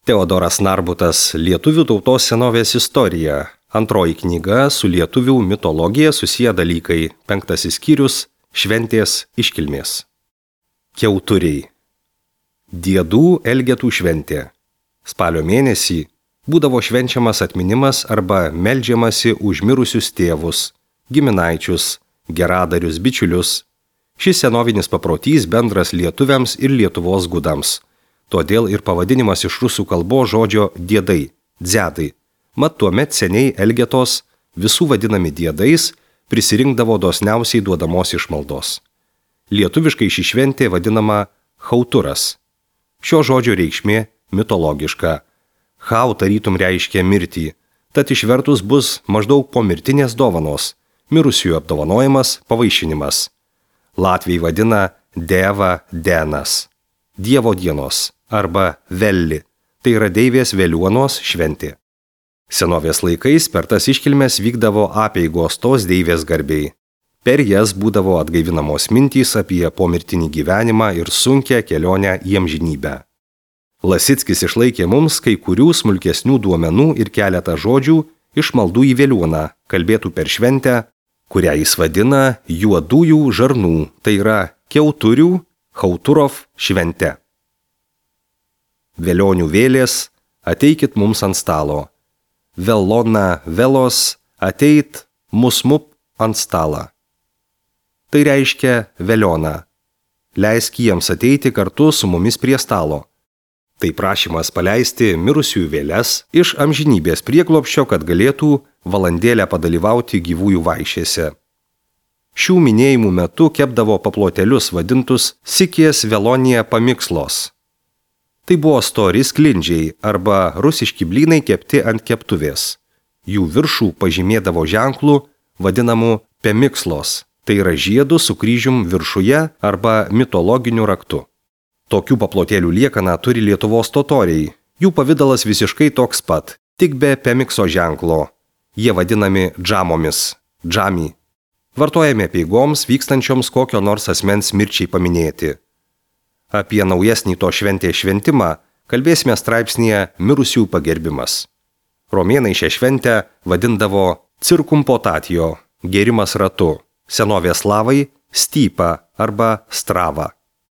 Teodoras Narbutas Lietuvių tautos senovės istorija. Antroji knyga su lietuvių mitologija susiję dalykai. 5 skyrius – šventės iškilmės. Kiauturiai. Diedų Elgetų šventė. Spalio mėnesį būdavo švenčiamas atminimas arba meldžiamasi už mirusius tėvus, giminaičius, geradarius, bičiulius. Šis senovinis paprotys bendras lietuviams ir Lietuvos gudams. Todėl ir pavadinimas iš rusų kalbos žodžio diedai, dzedai. Mat tuomet seniai Elgetos, visų vadinami diedais, prisirinkdavo dosniausiai duodamos išmaldos. Lietuviškai ši šventė vadinama chauturas. Šio žodžio reikšmė mitologiška. Chau tarytum reiškia mirtį, tad išvertus bus maždaug pomirtinės dovanos, mirusiųjų apdovanojimas, pavaišinimas. Latviai vadina deva denas, Dievo dienos arba velli, tai yra deivės veliuonos šventė. Senovės laikais per tas iškilmes vykdavo apeigos tos deivės garbei. Per jas būdavo atgaivinamos mintys apie pomirtinį gyvenimą ir sunkią kelionę į amžinybę. Lasickis išlaikė mums kai kurių smulkesnių duomenų ir keletą žodžių iš maldų į veliuoną, kalbėtų per šventę, kurią jis vadina juodųjų žarnų, tai yra kiauturių, chauturov švente. Velionių vėlės, ateikit mums ant stalo. Velona velos, ateit musmup ant stalą. Tai reiškia velioną. Leisk jiems ateiti kartu su mumis prie stalo. Tai prašymas paleisti mirusiųjų vėles iš amžinybės prieglobsčio, kad galėtų valandėlę padalyvauti gyvųjų vaišėse. Šių minėjimų metu kepdavo paplotelius vadintus sikės velonija pamikslos. Tai buvo stori sklindžiai arba rusiški blynai kepti ant keptuvės. Jų viršų pažymėdavo ženklų vadinamų pemikslos, tai yra žiedų su kryžium viršuje arba mitologiniu raktu. Tokių paplotėlių liekaną turi Lietuvos totoriai. Jų pavidalas visiškai toks pat, tik be pemikso ženklo. Jie vadinami džamomis, džami. Vartojami apeigoms vykstančioms kokio nors asmens mirčiai paminėti. Apie naujesnį to šventės šventimą kalbėsime straipsnyje Mirusiųjų pagerbimas. Romėnai šią šventę vadindavo circumpotatio, gėrimas ratu, senovės slavai stypa arba strava.